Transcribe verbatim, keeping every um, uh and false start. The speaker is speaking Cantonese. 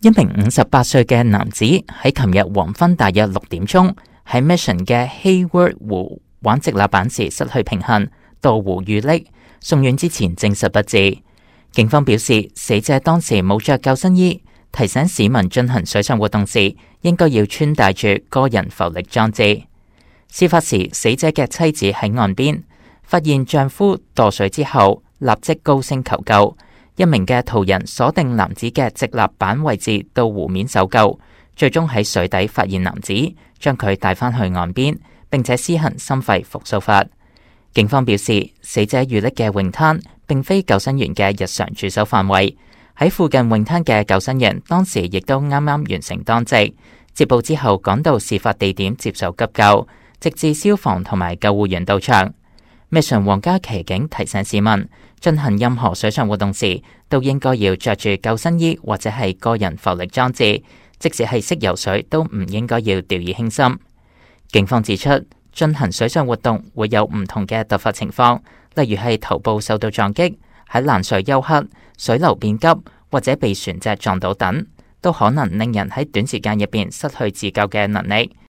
一名五十八歲嘅男子喺琴日黃昏大約六點鐘喺 Mission 嘅 Hayward 湖玩直立板時失去平衡，墮湖遇溺，送院之前證實不治。警方表示，死者當時冇着救生衣，提醒市民進行水上活動時應該要穿戴住個人浮力裝置。事發時，死者嘅妻子喺岸邊發現丈夫墮水之後，立即高聲求救。一名嘅途人鎖定男子嘅直立板位置到湖面搜救，最終喺水底發現男子，將佢帶返去岸邊，並且施行心肺復甦法。警方表示，死者遇溺嘅泳灘並非救生員嘅日常駐守範圍，喺附近泳灘嘅救生員當時亦都啱啱完成當值，接報之後趕到事發地點接受急救，直至消防同埋救護員到場。Mission 皇家騎警提醒市民，進行任何水上活動時，都應該要着住救生衣或者係個人浮力裝置，即使係識游水，都唔應該要掉以輕心。警方指出，進行水上活動會有唔同嘅突發情況，例如係頭部受到撞擊、喺藍水休克、水流變急或者被船隻撞到等，都可能令人喺短時間入邊失去自救嘅能力。